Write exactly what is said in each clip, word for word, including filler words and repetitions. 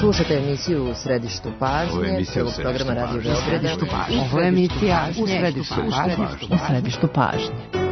Slušate emisiju U središtu pažnje, prvog programa Radio Beograda. Ovo je emisija U središtu pažnje. U središtu pažnje.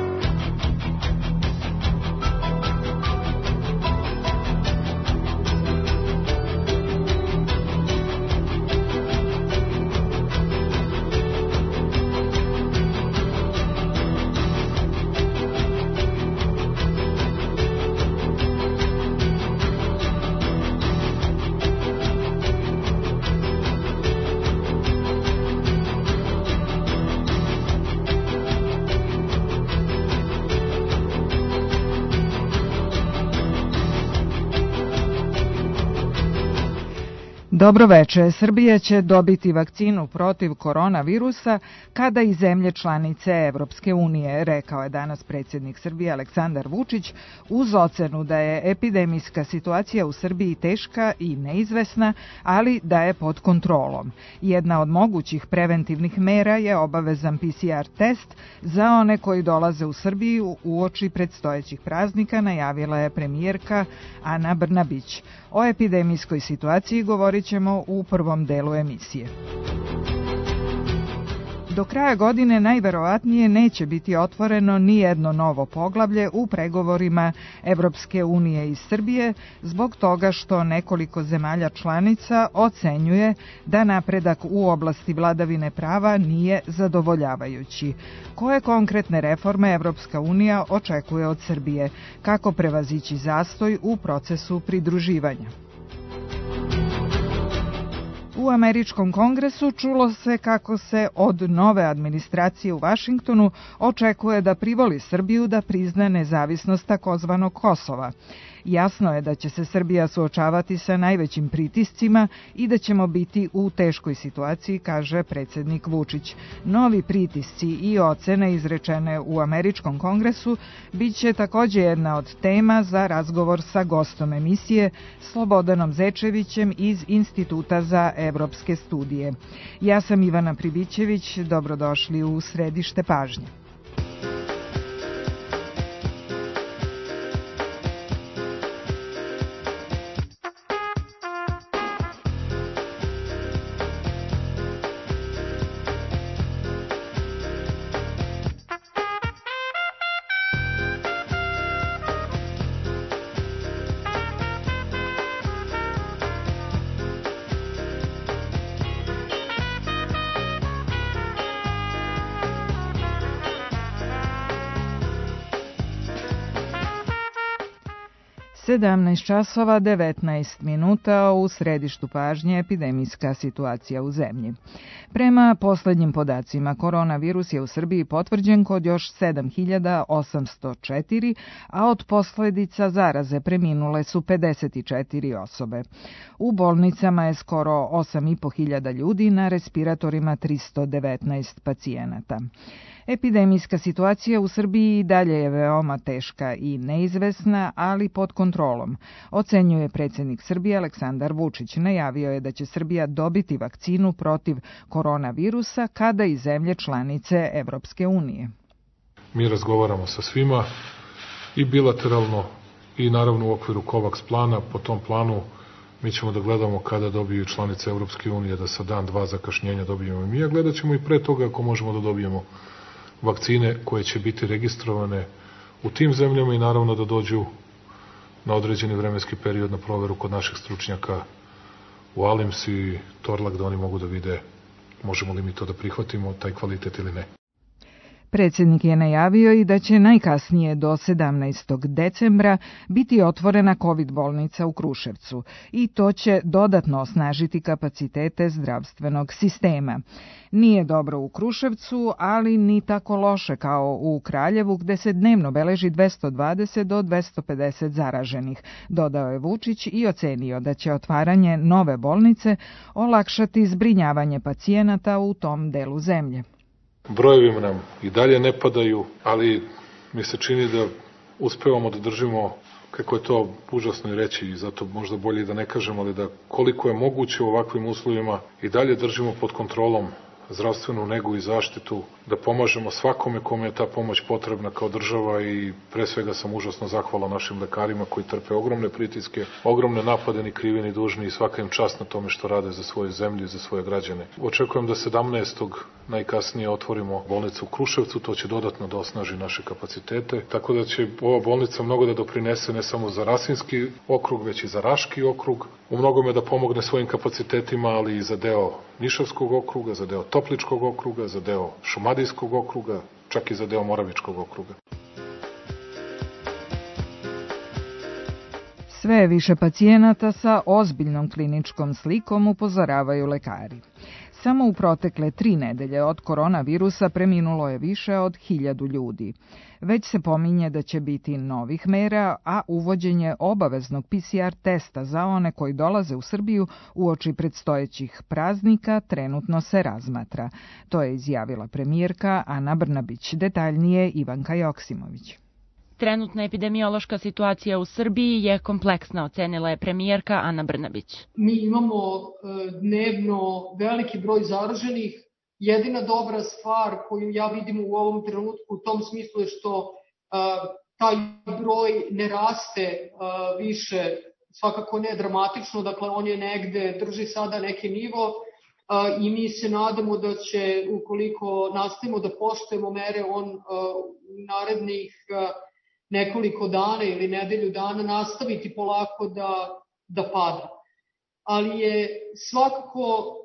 Dobroveče. Srbija će dobiti vakcinu protiv koronavirusa kada i zemlje članice Evropske unije, rekao je danas predsjednik Srbije Aleksandar Vučić, uz ocenu da je epidemijska situacija u Srbiji teška i neizvesna, ali da je pod kontrolom. Jedna od mogućih preventivnih mera je obavezan P C R test za one koji dolaze u Srbiju uoči predstojećih praznika, najavila je premijerka Ana Brnabić. O epidemijskoj situaciji govorit ćemo u prvom delu emisije. Do kraja godine najverovatnije neće biti otvoreno ni jedno novo poglavlje u pregovorima Evropske unije i Srbije zbog toga što nekoliko zemalja članica ocenjuje da napredak u oblasti vladavine prava nije zadovoljavajući. Koje konkretne reforme Evropska unija očekuje od Srbije? Kako prevazići zastoj u procesu pridruživanja? U američkom kongresu čulo se kako se od nove administracije u Vašingtonu očekuje da privoli Srbiju da prizna nezavisnost takozvanog Kosova. Jasno je da će se Srbija suočavati sa najvećim pritiscima i da ćemo biti u teškoj situaciji, kaže predsjednik Vučić. Novi pritisci i ocene izrečene u američkom kongresu bit će također jedna od tema za razgovor sa gostom emisije Slobodanom Zečevićem iz Instituta za evropske studije. Ja sam Ivana Pribićević, dobrodošli u središte pažnje. sedamnaest časova devetnaest minuta, u središtu pažnje epidemijska situacija u zemlji. Prema poslednjim podacima, koronavirus je u Srbiji potvrđen kod još sedam hiljada osamsto četiri, a od posljedica zaraze preminule su pedeset četiri osobe. U bolnicama je skoro osam i po hiljada ljudi, na respiratorima tristo devetnaest pacijenata. Epidemijska situacija u Srbiji dalje je veoma teška i neizvesna, ali pod kontrolom, ocenjuje predsjednik Srbije Aleksandar Vučić. Najavio je da će Srbija dobiti vakcinu protiv koronavirusa kada i zemlje članice Evropske unije. Mi razgovaramo sa svima i bilateralno i naravno u okviru COVAX plana. Po tom planu mi ćemo da gledamo kada dobiju članice Evropske unije, da sa dan, dva zakašnjenja dobijemo i mi, a gledat ćemo i pre toga ako možemo da dobijemo vakcine koje će biti registrovane u tim zemljama i naravno da dođu na određeni vremenski period na proveru kod naših stručnjaka u Alims i Torlak, da oni mogu da vide možemo li mi to da prihvatimo, taj kvalitet ili ne. Predsjednik je najavio i da će najkasnije do sedamnaestog decembra biti otvorena COVID bolnica u Kruševcu i to će dodatno osnažiti kapacitete zdravstvenog sistema. Nije dobro u Kruševcu, ali ni tako loše kao u Kraljevu, gde se dnevno beleži dvesta dvadeset do dvesta pedeset zaraženih, dodao je Vučić i ocenio da će otvaranje nove bolnice olakšati zbrinjavanje pacijenata u tom delu zemlje. Brojevi nam i dalje ne padaju, ali mi se čini da uspevamo da držimo, kako je to užasno i reći, i zato možda bolje da ne kažemo, ali da koliko je moguće u ovakvim uslovima i dalje držimo pod kontrolom zdravstvenu negu i zaštitu, da pomažemo svakome kome je ta pomoć potrebna kao država i pre svega sam užasno zahvalan našim lekarima koji trpe ogromne pritiske, ogromne napade, ni krivi ni dužni i svaka im čast na tome što rade za svoju zemlju i za svoje građane. Očekujem da sedamnaestog najkasnije otvorimo bolnicu u Kruševcu, to će dodatno da osnaži naše kapacitete, tako da će ova bolnica mnogo da doprinese ne samo za Rasinski okrug, već i za Raški okrug, u mnogome da pomogne svojim kapacitetima, ali i za deo Nišavskog okruga, za deo Topličkog okruga, za deo Šumadijskog okruga, čak i za deo Moravičkog okruga. Sve je više pacijenata sa ozbiljnom kliničkom slikom, upozoravaju lekari. Samo u protekle tri nedelje od koronavirusa preminulo je više od hiljadu ljudi. Već se pominje da će biti novih mera, a uvođenje obaveznog P C R testa za one koji dolaze u Srbiju uoči predstojećih praznika trenutno se razmatra. To je izjavila premijerka Ana Brnabić. Detaljnije Ivanka Joksimović. Trenutna epidemiološka situacija u Srbiji je kompleksna, ocenila je premijerka Ana Brnabić. Mi imamo dnevno veliki broj zaraženih. Jedina dobra stvar koju ja vidim u ovom trenutku u tom smislu je što taj broj ne raste više, svakako ne dramatično, dakle on je negde, drži sada neki nivo i mi se nadamo da će, ukoliko nastavimo da poštujemo mere, on u narednih nekoliko dana ili nedelju dana nastaviti polako da, da pada. Ali je svakako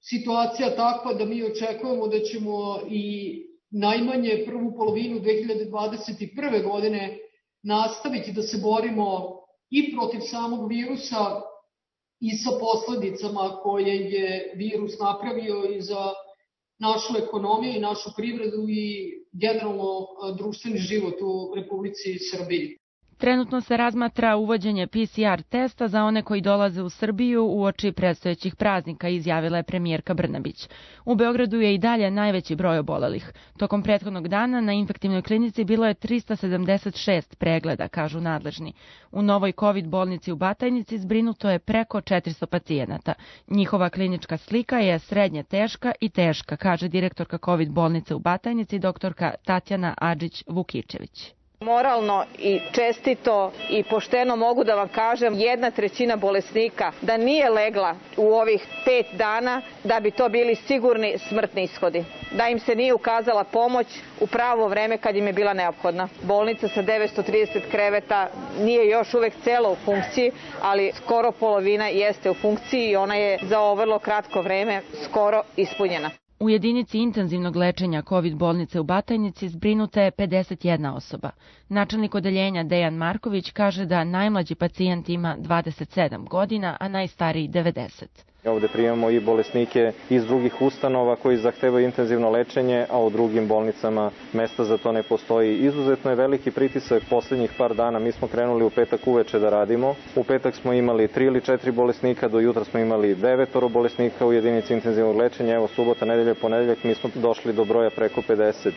situacija takva da mi očekujemo da ćemo i najmanje prvu polovinu dve hiljade dvadeset prve. godine nastaviti da se borimo i protiv samog virusa i sa posledicama koje je virus napravio i za našu ekonomiju i našu privredu i generalno društveni život u Republici Srbiji. Trenutno se razmatra uvođenje P C R testa za one koji dolaze u Srbiju uoči predstojećih praznika, izjavila je premijerka Brnabić. U Beogradu je i dalje najveći broj obolelih. Tokom prethodnog dana na infektivnoj klinici bilo je trista sedamdeset šest pregleda, kažu nadležni. U novoj COVID bolnici u Batajnici zbrinuto je preko četiristo pacijenata. Njihova klinička slika je srednje teška i teška, kaže direktorka COVID bolnice u Batajnici, doktorka Tatjana Adžić-Vukičević. Moralno i čestito i pošteno mogu da vam kažem, jedna trećina bolesnika da nije legla u ovih pet dana, da bi to bili sigurni smrtni ishodi. Da im se nije ukazala pomoć u pravo vreme kad im je bila neophodna. Bolnica sa devetsto trideset kreveta nije još uvek cela u funkciji, ali skoro polovina jeste u funkciji i ona je za ovo vrlo kratko vreme skoro ispunjena. U jedinici intenzivnog lečenja COVID bolnice u Batajnici zbrinuta je pedeset jedna osoba. Načelnik odeljenja Dejan Marković kaže da najmlađi pacijent ima dvadeset sedam godina, a najstariji devedeset. Ovde primamo i bolesnike iz drugih ustanova koji zahtevaju intenzivno lečenje, a u drugim bolnicama mesta za to ne postoji. Izuzetno je veliki pritisak poslednjih par dana. Mi smo krenuli u petak uveče da radimo. U petak smo imali tri ili četiri bolesnika, do jutra smo imali devetoro bolesnika u jedinici intenzivnog lečenja. Evo subota, nedelja, ponedeljak mi smo došli do broja preko pedeset.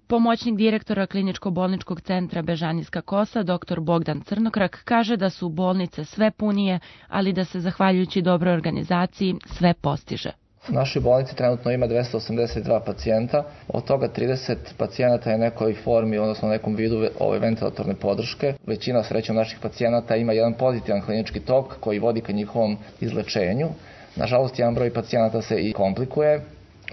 Pomoćnik direktora kliničko-bolničkog centra Bežanijska Kosa, doktor Bogdan Crnokrak, kaže da su bolnice sve punije, ali da se, zahvaljujući dobroj organizaciji, sve postiže. U našoj bolnici trenutno ima dvesta osamdeset dva pacijenta, od toga trideset pacijenata je nekoj formi, odnosno nekom vidu ove ventilatorne podrške. Većina srećom naših pacijenata ima jedan pozitivan klinički tok koji vodi ka njihovom izlečenju. Nažalost, jedan broj pacijenata se i komplikuje,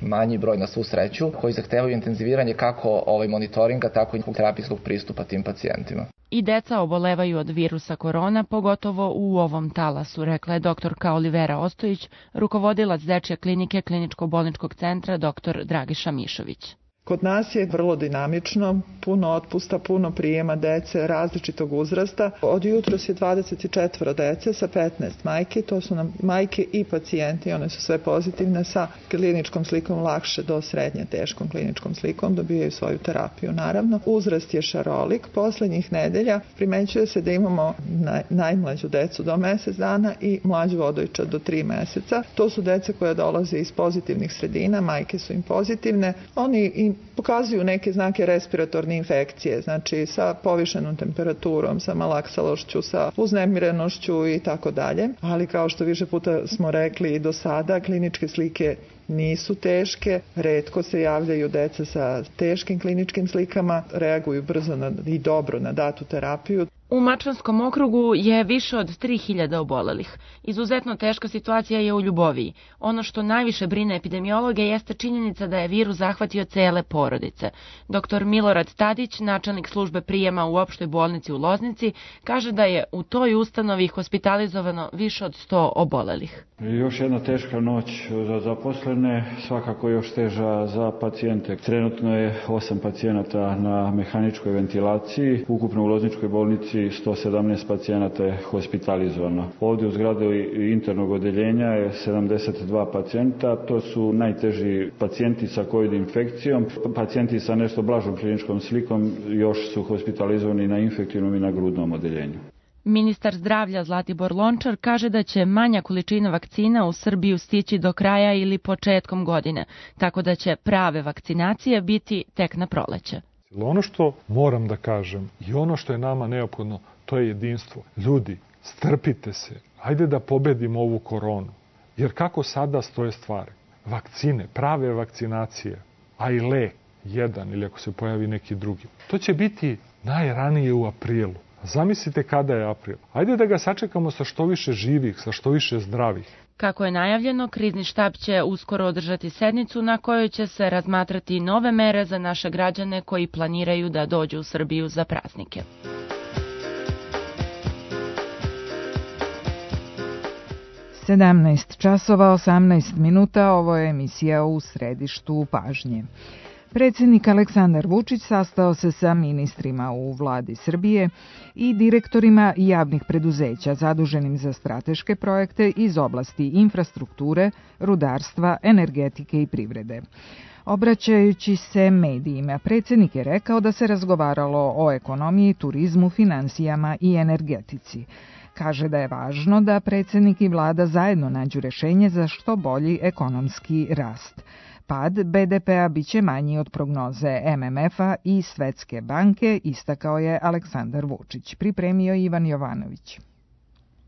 manji broj na svu sreću, koji zahtevaju intenziviranje kako ovaj monitoringa, tako i terapijskog pristupa tim pacijentima. I deca obolevaju od virusa korona, pogotovo u ovom talasu, rekla je doktorka Olivera Ostojić, rukovodilac dečje klinike kliničko-bolničkog centra dr Dragiša Mišović. Kod nas je vrlo dinamično, puno otpusta, puno prijema dece različitog uzrasta. Od jutros je dvadeset četiri dece sa petnaest majke, to su nam majke i pacijenti, one su sve pozitivne sa kliničkom slikom lakše do srednje teškom kliničkom slikom, dobijaju svoju terapiju naravno. Uzrast je šarolik, poslednjih nedelja primećuje se da imamo naj, najmlađu decu do mesec dana i mlađu odojčad do tri meseca. To su deca koja dolaze iz pozitivnih sredina, majke su im pozitivne, oni im i pokazuju neke znake respiratorne infekcije, znači sa povišenom temperaturom, sa malaksalošću, sa uznemirenošću i tako dalje. Ali kao što više puta smo rekli i do sada, kliničke slike nisu teške, retko se javljaju deca sa teškim kliničkim slikama, reaguju brzo na, i dobro na datu terapiju. U Mačvanskom okrugu je više od tri hiljade obolelih. Izuzetno teška situacija je u Ljuboviji. Ono što najviše brine epidemiologe jeste činjenica da je virus zahvatio cele porodice. Doktor Milorad Tadić, načelnik službe prijema u opštoj bolnici u Loznici, kaže da je u toj ustanovi hospitalizovano više od sto obolelih. Još jedna teška noć za zaposlene, svakako još teža za pacijente. Trenutno je osam pacijenata na mehaničkoj ventilaciji, ukupno u Lozničkoj bolnici sto sedamnaest pacijenata je hospitalizovano. Ovdje u zgradu internog odeljenja je sedamdeset dva pacijenta, to su najteži pacijenti sa COVID infekcijom. Pacijenti sa nešto blažom kliničkom slikom još su hospitalizovani na infektivnom i na grudnom odeljenju. Ministar zdravlja Zlatibor Lončar kaže da će manja količina vakcina u Srbiju stići do kraja ili početkom godine, tako da će prave vakcinacije biti tek na proleće. Ono što moram da kažem i ono što je nama neophodno, to je jedinstvo. Ljudi, strpite se, ajde da pobedimo ovu koronu. Jer kako sada stoje stvari? Vakcine, prave vakcinacije, a i lek, jedan ili ako se pojavi neki drugi. To će biti najranije u aprilu. Zamislite kada je april. Ajde da ga sačekamo sa što više živih, sa što više zdravih. Kako je najavljeno, krizni štab će uskoro održati sednicu na kojoj će se razmatrati nove mere za naše građane koji planiraju da dođu u Srbiju za praznike. sedamnaest časova osamnaest minuta, ovo je emisija U središtu pažnje. Predsjednik Aleksandar Vučić sastao se sa ministrima u vladi Srbije i direktorima javnih preduzeća zaduženim za strateške projekte iz oblasti infrastrukture, rudarstva, energetike i privrede. Obraćajući se medijima, predsjednik je rekao da se razgovaralo o ekonomiji, turizmu, finansijama i energetici. Kaže da je važno da predsjednik i vlada zajedno nađu rješenje za što bolji ekonomski rast. Pad be de pea biće manji od prognoze em em efa i Svetske banke, istakao je Aleksandar Vučić. Pripremio Ivan Jovanović.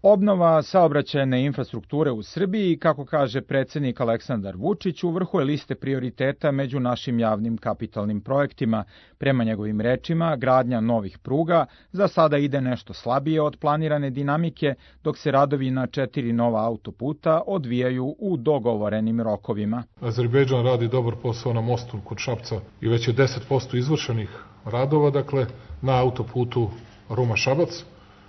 Obnova saobraćajne infrastrukture u Srbiji, kako kaže predsjednik Aleksandar Vučić, u vrhu je liste prioriteta među našim javnim kapitalnim projektima. Prema njegovim rečima, gradnja novih pruga za sada ide nešto slabije od planirane dinamike, dok se radovi na četiri nova autoputa odvijaju u dogovorenim rokovima. Azerbejdžan radi dobar posao na mostu kod Šapca i već je deset posto izvršenih radova, dakle, na autoputu Ruma-Šabac.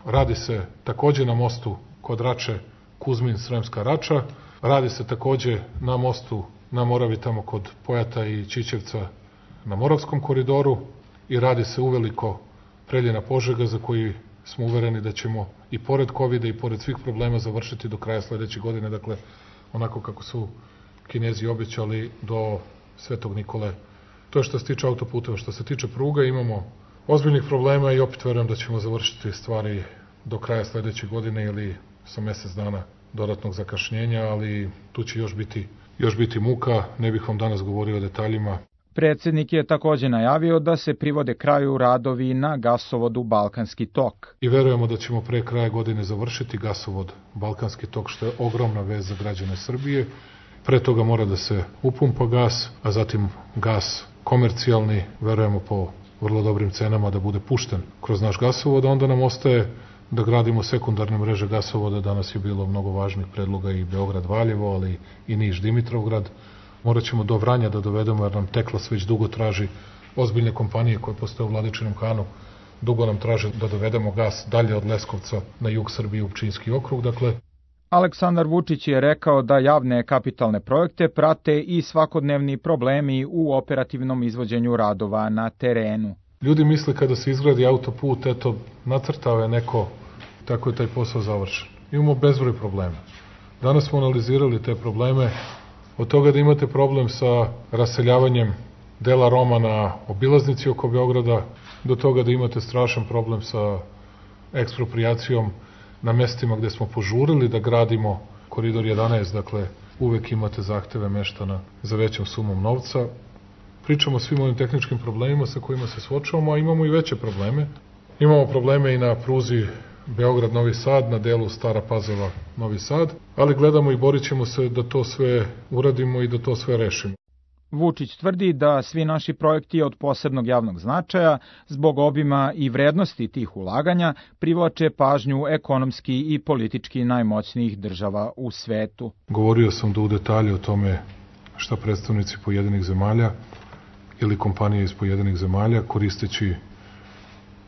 Radi se također na mostu kod Rače Kuzmin-Sremska Rača. Radi se također na mostu na Moravi tamo kod Pojata i Čičevca na Moravskom koridoru i radi se uveliko Preljina-Požega za koji smo uvereni da ćemo i pored kovida i pored svih problema završiti do kraja sledeće godine, dakle onako kako su Kinezi obećali do Svetog Nikole. To je što se tiče autoputeva. Što se tiče pruga, imamo ozbiljnih problema i opet verujem da ćemo završiti stvari do kraja sledeće godine ili sa mesec dana dodatnog zakašnjenja, ali tu će još biti, još biti muka, ne bih vam danas govorio o detaljima. Predsjednik je također najavio da se privode kraju radovi na gasovodu Balkanski tok. I verujemo da ćemo pre kraja godine završiti gasovod Balkanski tok, što je ogromna vez za građane Srbije. Pre toga mora da se upumpa gas, a zatim gas komercijalni, verujemo po vrlo dobrim cenama da bude pušten kroz naš gasovod, a onda nam ostaje da gradimo sekundarne mreže gasovoda. Danas je bilo mnogo važnih predloga i Beograd-Valjevo, ali i Niš-Dimitrovgrad. Morat ćemo do Vranja da dovedemo, jer nam Teklas već dugo traži, ozbiljne kompanije koje postoje u Vladičinom Hanu, dugo nam traže da dovedemo gas dalje od Leskovca na jug Srbije u Pčinjski okrug. Dakle, Aleksandar Vučić je rekao da javne kapitalne projekte prate i svakodnevni problemi u operativnom izvođenju radova na terenu. Ljudi misle kada se izgradi autoput, eto, nacrtao je neko, tako je taj posao završen. Imamo bezbroj problema. Danas smo analizirali te probleme, od toga da imate problem sa raseljavanjem dela Roma na obilaznici oko Beograda, do toga da imate strašan problem sa eksproprijacijom na mestima gde smo požurili da gradimo koridor jedanaest, dakle uvek imate zahteve meštana za većom sumom novca. pričamo o svim ovim tehničkim problemima sa kojima se suočavamo, a imamo i veće probleme. Imamo probleme i na pruzi Beograd-Novi Sad, na delu Stara Pazova-Novi Sad, ali gledamo i borit ćemo se da to sve uradimo i da to sve rešimo. Vučić tvrdi da svi naši projekti od posebnog javnog značaja, zbog obima i vrednosti tih ulaganja, privlače pažnju ekonomski i politički najmoćnijih država u svetu. Govorio sam da u detalje o tome šta predstavnici pojedinih zemalja ili kompanije iz pojedinih zemalja, koristeći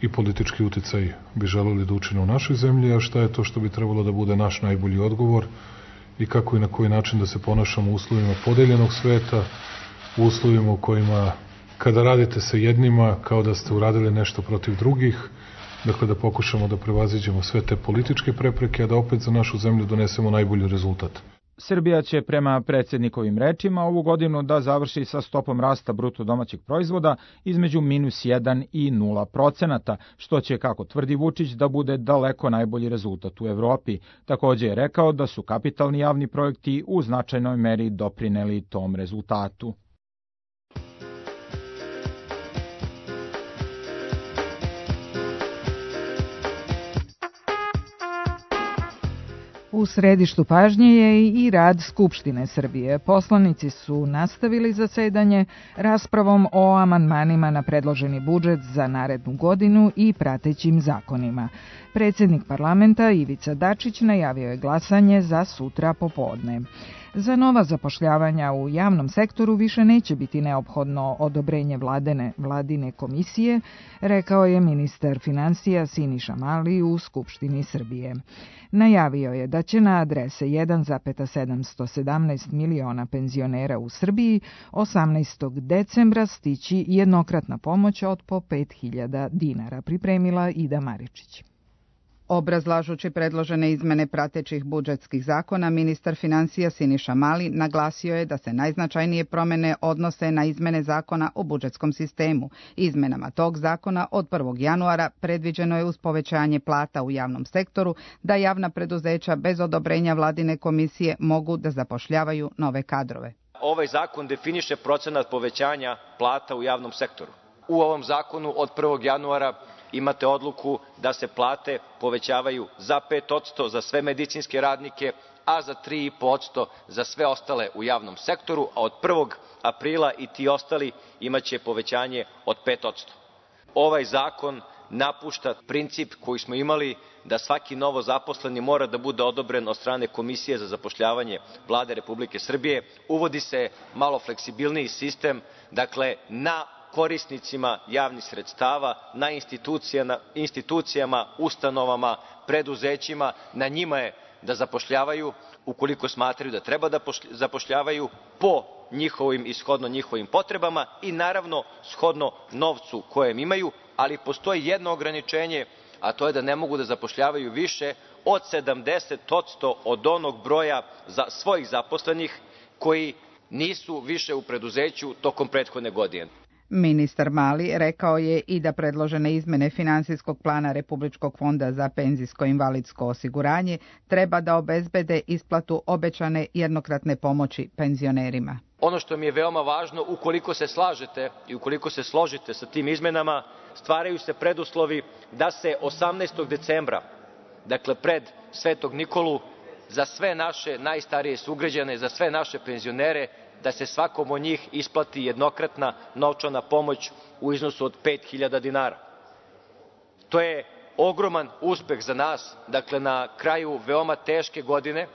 i politički uticaj, bi želeli da učine u našoj zemlji, a šta je to što bi trebalo da bude naš najbolji odgovor i kako i na koji način da se ponašamo u uslovima podeljenog sveta, u uslovima u kojima kada radite sa jednima kao da ste uradili nešto protiv drugih, dakle da pokušamo da prevaziđemo sve te političke prepreke, a da opet za našu zemlju donesemo najbolji rezultat. Srbija će prema predsjednikovim rečima ovu godinu da završi sa stopom rasta bruto domaćeg proizvoda između minus jedan i nula procenata, što će, kako tvrdi Vučić, da bude daleko najbolji rezultat u Evropi. Takođe je rekao da su kapitalni javni projekti u značajnoj meri doprineli tom rezultatu. U središtu pažnje je i rad Skupštine Srbije. Poslanici su nastavili zasedanje raspravom o amandmanima na predloženi budžet za narednu godinu i pratećim zakonima. Predsjednik parlamenta Ivica Dačić najavio je glasanje za sutra popodne. Za nova zapošljavanja u javnom sektoru više neće biti neophodno odobrenje vladene, vladine komisije, rekao je ministar finansija Siniša Mali u Skupštini Srbije. Najavio je da će na adrese jedan zarez sedamsto sedamnaest miliona penzionera u Srbiji osamnaestog decembra stići jednokratna pomoć od po pet hiljada dinara, pripremila Ida Maričić. Obrazlažući predložene izmene pratećih budžetskih zakona, ministar finansija Siniša Mali naglasio je da se najznačajnije promene odnose na izmene zakona o budžetskom sistemu. Izmenama tog zakona od prvog januara predviđeno je uz povećanje plata u javnom sektoru da javna preduzeća bez odobrenja vladine komisije mogu da zapošljavaju nove kadrove. Ovaj zakon definiše procenat povećanja plata u javnom sektoru. U ovom zakonu od prvog januara imate odluku da se plate povećavaju za pet posto za sve medicinske radnike, a za tri i po posto za sve ostale u javnom sektoru, a od prvog aprila i ti ostali imaće povećanje od pet posto. Ovaj zakon napušta princip koji smo imali da svaki novo zaposleni mora da bude odobren od strane Komisije za zapošljavanje Vlade Republike Srbije. Uvodi se malo fleksibilniji sistem, dakle na korisnicima javnih sredstava, na institucijama, institucijama, ustanovama, preduzećima, na njima je da zapošljavaju ukoliko smatraju da treba da zapošljavaju po njihovim i shodno njihovim potrebama i naravno shodno novcu kojem imaju, ali postoji jedno ograničenje, a to je da ne mogu da zapošljavaju više od sedamdeset posto od onog broja za svojih zaposlenih koji nisu više u preduzeću tokom prethodne godine. Ministar Mali rekao je i da predložene izmene finansijskog plana Republičkog fonda za penzijsko-invalidsko osiguranje treba da obezbede isplatu obećane jednokratne pomoći penzionerima. Ono što mi je veoma važno, ukoliko se slažete i ukoliko se složite sa tim izmenama, stvaraju se preduslovi da se osamnaestog decembra, dakle pred Svetog Nikolu, za sve naše najstarije sugrađane, za sve naše penzionere, da se svakom od njih isplati jednokratna novčana pomoć u iznosu od pet hiljada dinara. To je ogroman uspeh za nas, dakle na kraju veoma teške godine,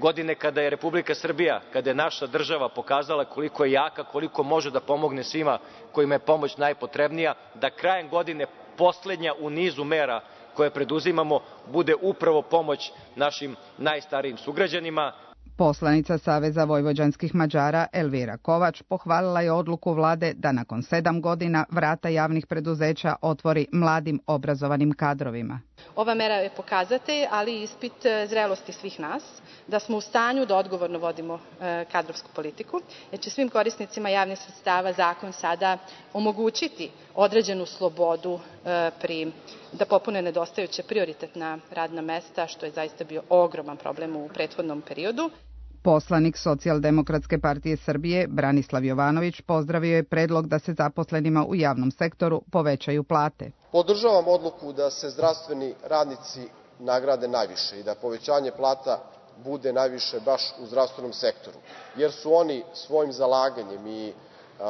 godine kada je Republika Srbija, kada je naša država pokazala koliko je jaka, koliko može da pomogne svima kojima je pomoć najpotrebnija, da krajem godine poslednja u nizu mera koje preduzimamo bude upravo pomoć našim najstarijim sugrađanima. Poslanica Saveza vojvođanskih Mađara Elvira Kovač pohvalila je odluku vlade da nakon sedam godina vrata javnih preduzeća otvori mladim obrazovanim kadrovima. Ova mera je pokazatelj, ali i ispit zrelosti svih nas, da smo u stanju da odgovorno vodimo kadrovsku politiku, jer će svim korisnicima javnih sredstava zakon sada omogućiti određenu slobodu pri, da popune nedostajuća prioritetna radna mesta, što je zaista bio ogroman problem u prethodnom periodu. Poslanik Socijaldemokratske partije Srbije Branislav Jovanović pozdravio je predlog da se zaposlenima u javnom sektoru povećaju plate. Podržavam odluku da se zdravstveni radnici nagrade najviše i da povećanje plata bude najviše baš u zdravstvenom sektoru, jer su oni svojim zalaganjem i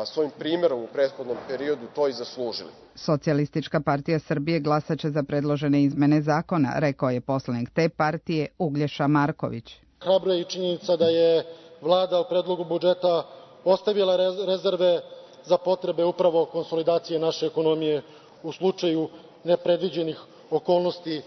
svojim primerom u prethodnom periodu to i zaslužili. Socijalistička partija Srbije glasaće za predložene izmene zakona, rekao je poslanik te partije Uglješa Marković. Hrabro je i činjenica da je Vlada u predlogu budžeta ostavila rezerve za potrebe upravo konsolidacije naše ekonomije u slučaju nepredviđenih okolnosti,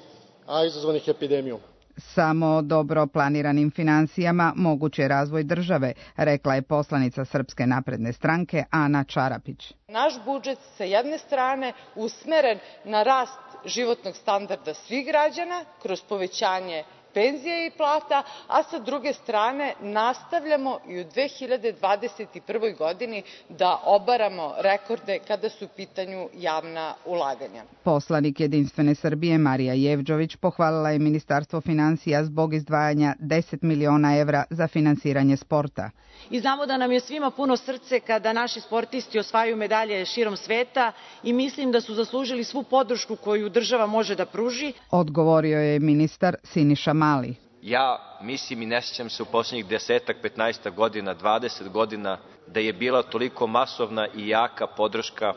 a izazvanih epidemijom. Samo dobro planiranim finansijama moguć je razvoj države, rekla je poslanica Srpske napredne stranke Ana Čarapić. Naš budžet sa jedne strane usmeren na rast životnog standarda svih građana kroz povećanje penzija i plata, a sa druge strane nastavljamo i u dve hiljade dvadeset prvoj. godini da obaramo rekorde kada su u pitanju javna ulaganja. Poslanik Jedinstvene Srbije Marija Jevđović pohvalila je Ministarstvo finansija zbog izdvajanja deset miliona evra za finansiranje sporta. I znamo da nam je svima puno srce kada naši sportisti osvajaju medalje širom sveta i mislim da su zaslužili svu podršku koju država može da pruži. Odgovorio je ministar Siniša Mali. Ja mislim i ne sjećam se u posljednjih desetak, petnaestak godina, dvadeset godina da je bila toliko masovna i jaka podrška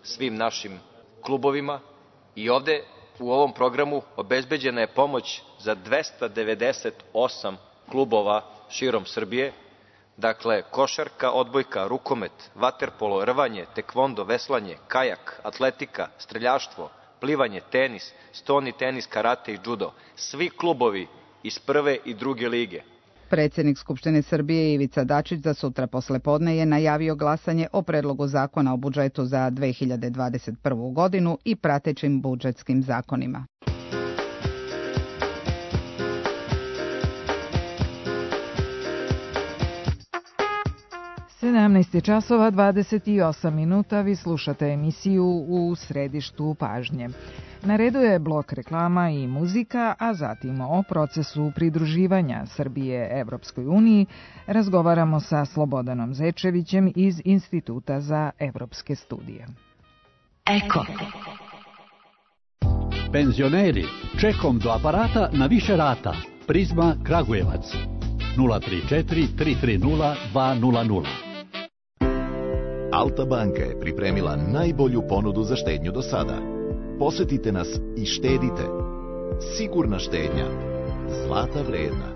svim našim klubovima i ovde u ovom programu obezbeđena je pomoć za dvesta devedeset osam klubova širom Srbije. Dakle, košarka, odbojka, rukomet, vaterpolo, rvanje, tekvondo, veslanje, kajak, atletika, streljaštvo, plivanje, tenis, stoni tenis, karate i džudo. Svi klubovi iz prve i druge lige. Predsjednik Skupštine Srbije Ivica Dačić za sutra poslepodne je najavio glasanje o predlogu zakona o budžetu za dve hiljade dvadeset prvu. godinu i pratećim budžetskim zakonima. sedamnaest časova dvadeset osam minuta, vi slušate emisiju U središtu pažnje. Na redu je blok reklama i muzika, a zatim o procesu pridruživanja Srbije Evropskoj uniji razgovaramo sa Slobodanom Zečevićem iz Instituta za evropske studije. Eko. Penzioneri, čekom do aparata na više rata. Prizma Kragujevac. nula tri četiri tri tri nula dva nula nula. Alta banka je pripremila najbolju ponudu za štednju do sada. Posetite nas i štedite. Sigurna štednja. Zlata vredna.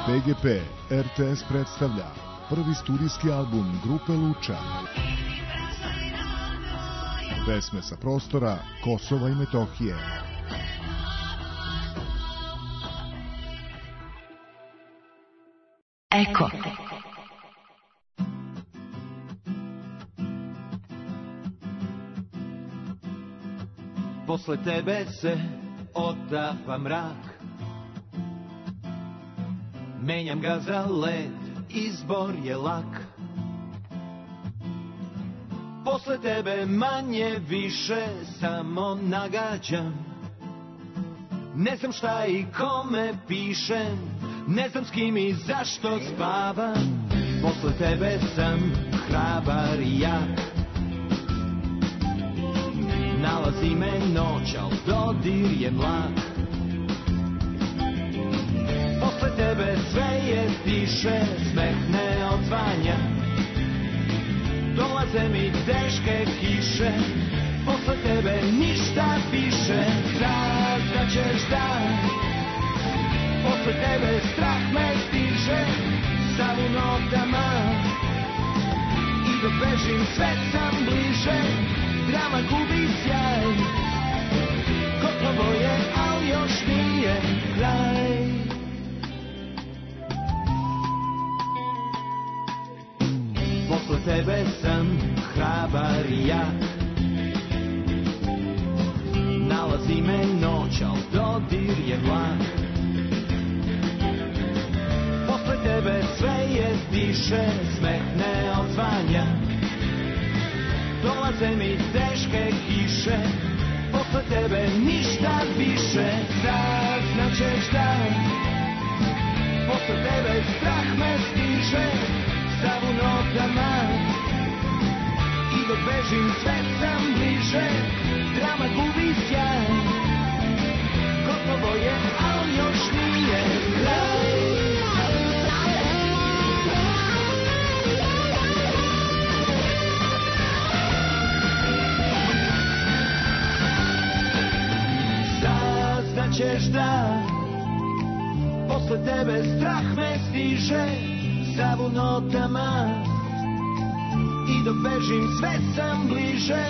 P G P R T S predstavlja prvi studijski album grupe Luča. Pesme sa prostora Kosova i Metohije. Eko. Posle tebe se otapa mrak, menjam ga za led, izbor je lak. Posle tebe manje više samo nagađam, ne znam šta i kome pišem, ne znam s kim i zašto spavam. Posle tebe sam hrabar i jak, nalazi me noć, al dodir je mlak. Posle tebe sve je tiše, smeh ne odzvanja, dolaze mi teške kiše. Posle tebe ništa više, saznaćeš da posle tebe strah me stiže, sam u notama i dok bežim sve sam bliže. Drama gubi sjaj, gotovo je, al još nije kraj. Posle tebe sam hrabar i jak, nalazi me noć, al dodir je mlak. Posle tebe sve je tiše, smeh ne odzvanja, dolaze mi teške kiše. posle tebe ništa više. Saznaćeš da posle tebe strah me stiže, sav u notama i dok bežim sve sam bliže. Drama gubi sjaj, gotovo je, al još nije kraj. Saznaćeš da posle tebe strah me stiže, sav u notama i dok bežim sve sam bliže.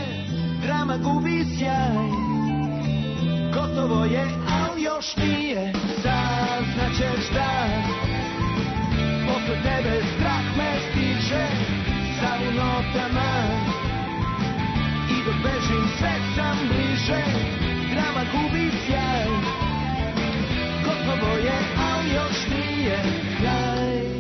Drama gubi sjaj, gotovo je, al još nije. Saznaćeš da posle tebe strah me stiže, sav u notama i dok bežim sve sam bliže. Drama gubi sjaj, gotovo je, al još nije kraj.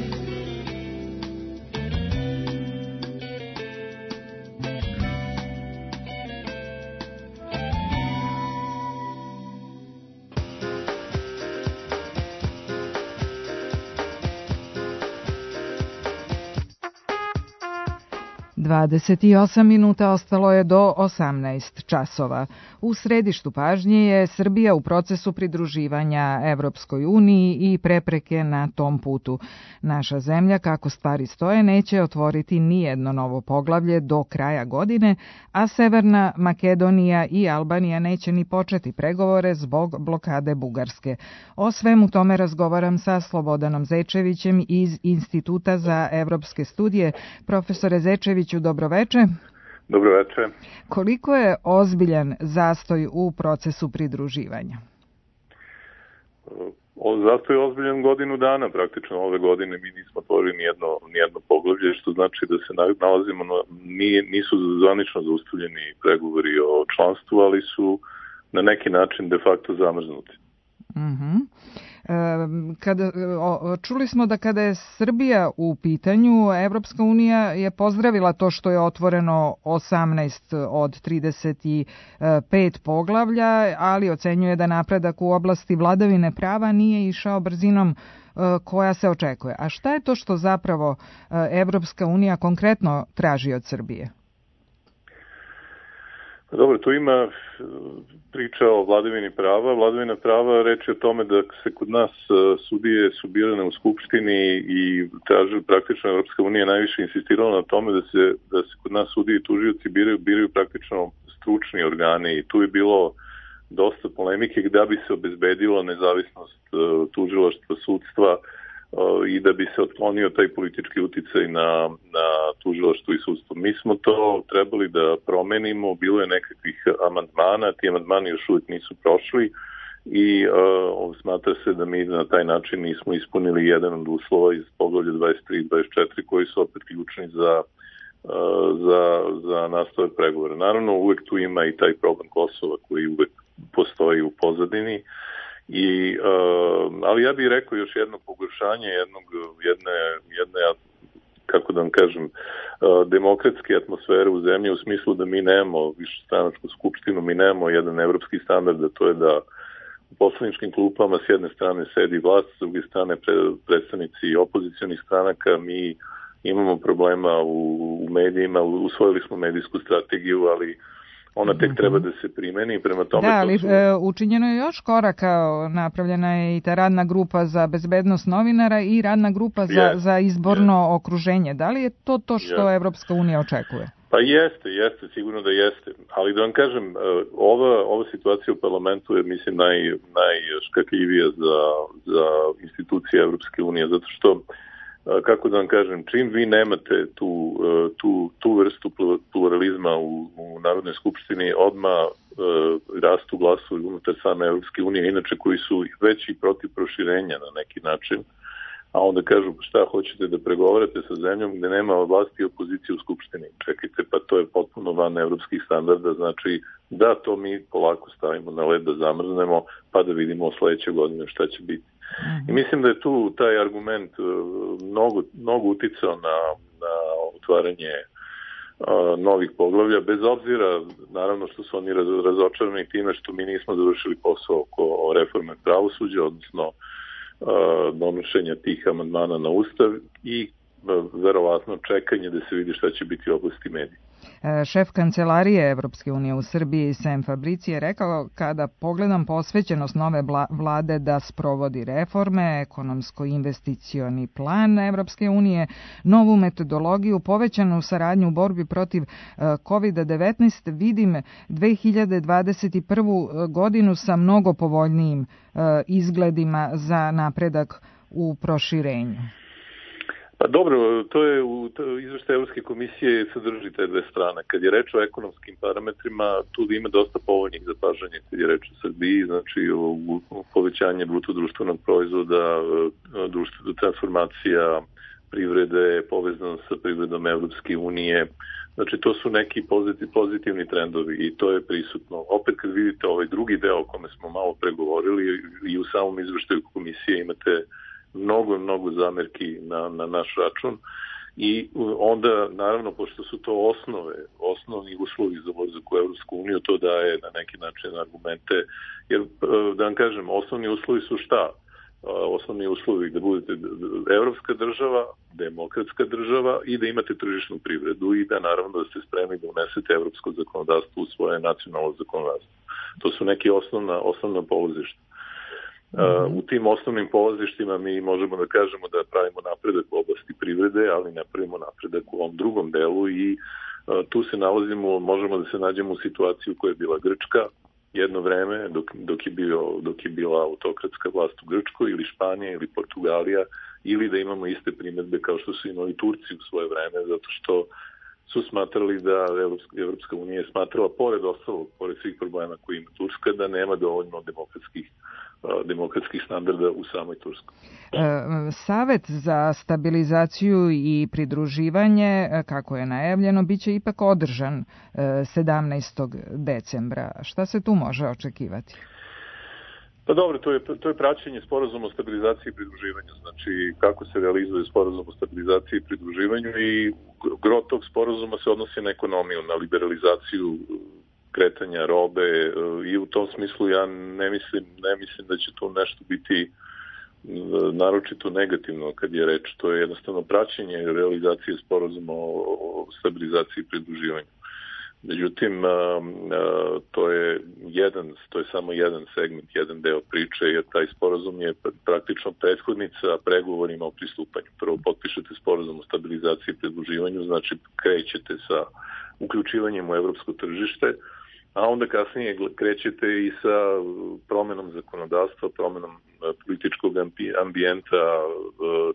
dvadeset osam minuta ostalo je do osamnaest časova. U središtu pažnje je Srbija u procesu pridruživanja Evropskoj uniji i prepreke na tom putu. Naša zemlja, kako stvari stoje, neće otvoriti nijedno novo poglavlje do kraja godine, a Severna Makedonija i Albanija neće ni početi pregovore zbog blokade Bugarske. O svemu tome razgovaram sa Slobodanom Zečevićem iz Instituta za evropske studije. Profesore Zečeviću, dobroveče. Dobroveče. Koliko je ozbiljan zastoj u procesu pridruživanja? O, zastoj je ozbiljan godinu dana, praktično ove godine mi nismo otvorili nijedno, nijedno poglavlje, što znači da se nalazimo, na, nije, nisu zvanično zaustavljeni pregovori o članstvu, ali su na neki način de facto zamrznuti. Mhm. Kada, čuli smo da kada je Srbija u pitanju, Evropska unija je pozdravila to što je otvoreno osamnaest od trideset pet poglavlja, ali ocenjuje da napredak u oblasti vladavine prava nije išao brzinom koja se očekuje. A šta je to što zapravo Evropska unija konkretno traži od Srbije? Dobro, tu ima priča o vladavini prava. Vladavina prava reči o tome da se kod nas sudije su birane u Skupštini i traži praktično Evropska unija najviše insistirala na tome da se, da se kod nas sudije i tužioci biraju, biraju praktično stručni organi i tu je bilo dosta polemike da bi se obezbedilo nezavisnost tužilaštva, sudstva i da bi se otklonio taj politički uticaj na, na tužilaštvo i sudstvo. Mi smo to trebali da promenimo, bilo je nekakvih amandmana, ti amandmani još uvijek nisu prošli i uh, smatra se da mi na taj način nismo ispunili jedan od uslova iz poglavlja dvadeset tri i dvadeset četiri koji su opet ključni za, uh, za, za nastavak pregovora. Naravno, uvek tu ima i taj problem Kosova koji uvek postoji u pozadini. I, uh, ali ja bih rekao još jedno pogoršanje jednog, jedne, jedne, kako da vam kažem, uh, demokratske atmosfere u zemlji u smislu da mi nemamo višestranačku skupštinu, mi nemamo jedan evropski standard, a to je da u poslaničkim klupama s jedne strane sedi vlast, s druge strane predstavnici opozicionih stranaka, mi imamo problema u, u medijima, usvojili smo medijsku strategiju, ali ona tek treba da se primeni prema tome. Da, ali su... učinjeno je još koraka, napravljena je i ta radna grupa za bezbednost novinara i radna grupa za, yes. za izborno yes. okruženje. Da li je to to što yes. Evropska unija očekuje? Pa jeste, jeste, sigurno da jeste. Ali da vam kažem, ova, ova situacija u parlamentu je, mislim, naj, najškakljivija za, za institucije Evropske unije, zato što kako da vam kažem, čim vi nemate tu, tu, tu vrstu pluralizma u, u Narodnoj skupštini, odmah uh, rastu glasovi unutar same Evropske unije, inače koji su već i protiv proširenja na neki način, a onda kažu šta hoćete da pregovarate sa zemljom gde nema vlasti i opozicije u skupštini. Čekajte, pa to je potpuno van evropskih standarda, znači da to mi polako stavimo na led da zamrznemo, pa da vidimo sledeće godine šta će biti. I mislim da je tu taj argument mnogo, mnogo uticao na, na otvaranje novih poglavlja, bez obzira, naravno što su oni razočarani time što mi nismo završili posao oko reforme pravosuđa, odnosno donošenja tih amandmana na Ustav i verovatno čekanje da se vidi šta će biti u oblasti medija. Šef kancelarije Evropske unije u Srbiji, Sem Fabrici, je rekao: kada pogledam posvećenost nove vlade da sprovodi reforme, ekonomsko-investicioni plan Evropske unije, novu metodologiju, povećanu saradnju u borbi protiv kovid devetnaest, vidim dve hiljade dvadeset prvu godinu sa mnogo povoljnijim izgledima za napredak u proširenju. Pa dobro, to je u izveštaju Evropske komisije sadrži te dve strane. Kad je reč o ekonomskim parametrima, tu ima dosta povoljnih zapažanja kad je reč o Srbiji, znači o povećanje bruto društvenog proizvoda, društvena transformacija privrede, povezano sa privredom Evropske unije. Znači to su neki pozitivni trendovi i to je prisutno. Opet kad vidite ovaj drugi deo o kome smo malo pregovorili i u samom izveštaju komisije imate mnogo, mnogo zamerki na, na naš račun i onda, naravno, pošto su to osnove, osnovni uslovi za ulazak u Evropsku uniju, to daje na neki način argumente, jer, da vam kažem, osnovni uslovi su šta? Osnovni uslovi da budete evropska država, demokratska država i da imate tržišnu privredu i da, naravno, da ste spremni da unesete evropsko zakonodavstvo u svoje nacionalno zakonodavstvo. To su neke osnovna, osnovna polazišta. Uh, u tim osnovnim polazištima mi možemo da kažemo da pravimo napredak u oblasti privrede, ali ne pravimo napredak u ovom drugom delu i uh, tu se nalazimo, možemo da se nađemo u situaciju koja je bila Grčka jedno vreme dok, dok, je bio, dok je bila autokratska vlast u Grčkoj ili Španija ili Portugalija, ili da imamo iste primjedbe kao što su imali Turci u svoje vreme, zato što su smatrali da Evropska unija je smatrala, pored ostalog, pored svih problema koje ima Turska, da nema dovoljno demokratskih demokratskih standarda u samoj Turskoj. Savet za stabilizaciju i pridruživanje, kako je najavljeno, biće ipak održan sedamnaestog decembra. Šta se tu može očekivati? Pa dobro, to je, to je praćenje sporazuma o stabilizaciji i pridruživanju. Znači, kako se realizuje sporazum o stabilizaciji i pridruživanju i gro tog sporazuma se odnosi na ekonomiju, na liberalizaciju kretanja robe i u tom smislu ja ne mislim, ne mislim da će tu nešto biti naročito negativno kad je reč. To je jednostavno praćenje realizacije sporazuma o stabilizaciji i pridruživanju. Međutim, to je jedan, to je samo jedan segment, jedan deo priče, jer taj sporazum je praktično prethodnica pregovorima o pristupanju. Prvo potpišete sporazum o stabilizaciji i pridruživanju, znači krećete sa uključivanjem u evropsko tržište, a onda kasnije krećete i sa promenom zakonodavstva, promenom političkog ambijenta,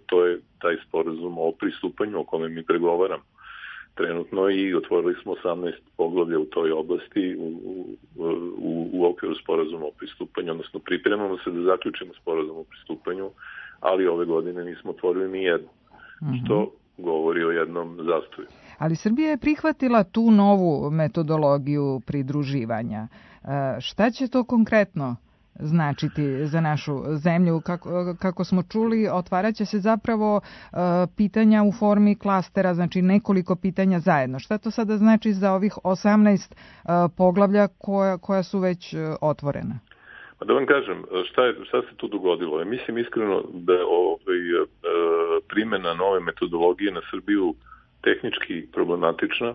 to je taj sporazum o pristupanju o kome mi pregovaramo trenutno i otvorili smo osamnaest poglavlja u toj oblasti u, u, u okviru sporazuma o pristupanju, odnosno pripremamo se da zaključimo sporazum o pristupanju, ali ove godine nismo otvorili ni jedno, mm-hmm. što govori o jednom zastoju. Ali Srbija je prihvatila tu novu metodologiju pridruživanja. Šta će to konkretno značiti za našu zemlju? Kako, kako smo čuli, otvaraće se zapravo uh, pitanja u formi klastera, znači nekoliko pitanja zajedno. Šta to sada znači za ovih osamnaest uh, poglavlja koja, koja su već uh, otvorena? Pa da vam kažem, šta, je, šta se tu dogodilo? Mislim iskreno da ovaj, uh, primjena nove metodologije na Srbiju tehnički problematična.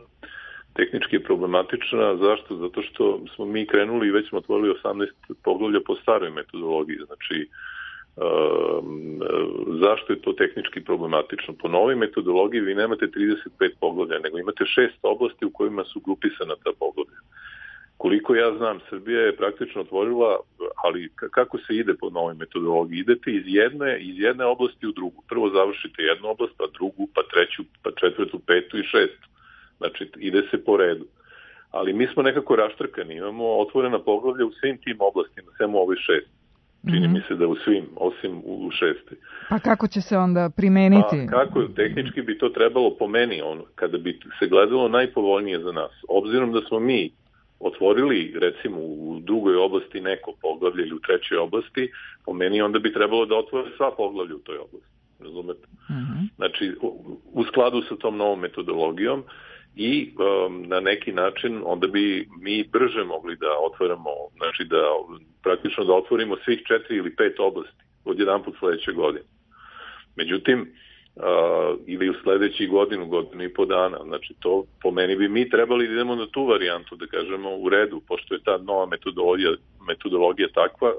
Tehnički je problematična. Zašto? Zato što smo mi krenuli i već smo otvorili osamnaest poglavlja po staroj metodologiji. Znači, um, zašto je to tehnički problematično? Po novoj metodologiji vi nemate trideset pet poglavlja, nego imate šest oblasti u kojima su grupisana ta poglavlja. Koliko ja znam, Srbija je praktično otvorila, ali kako se ide po novoj metodologiji? Idete iz jedne, iz jedne oblasti u drugu. Prvo završite jednu oblast, pa drugu, pa treću, pa četvrtu, petu i šestu. Znači, ide se po redu. Ali mi smo nekako raštrkani, imamo otvorena poglavlja u svim tim oblastima, samo ovih šest. Čini mm-hmm. mi se da u svim, osim u šesti. Pa kako će se onda primeniti? Pa kako, tehnički bi to trebalo po meni, ono, kada bi se gledalo najpovoljnije za nas. Obzirom da smo mi otvorili, recimo, u drugoj oblasti neko poglavlje ili u trećoj oblasti, po meni onda bi trebalo da otvore sva poglavlja u toj oblasti. Razumete? Mm-hmm. Znači, u, u skladu sa tom novom metodologijom i um, na neki način onda bi mi brže mogli da otvaramo, znači da praktično da otvorimo svih četiri ili pet oblasti od jedan put sledeće godine. Međutim, Uh, ili u sledećih godinu, godinu i po dana. Znači, to po meni bi mi trebali da idemo na tu varijantu, da kažemo u redu, pošto je ta nova metodologija, metodologija takva,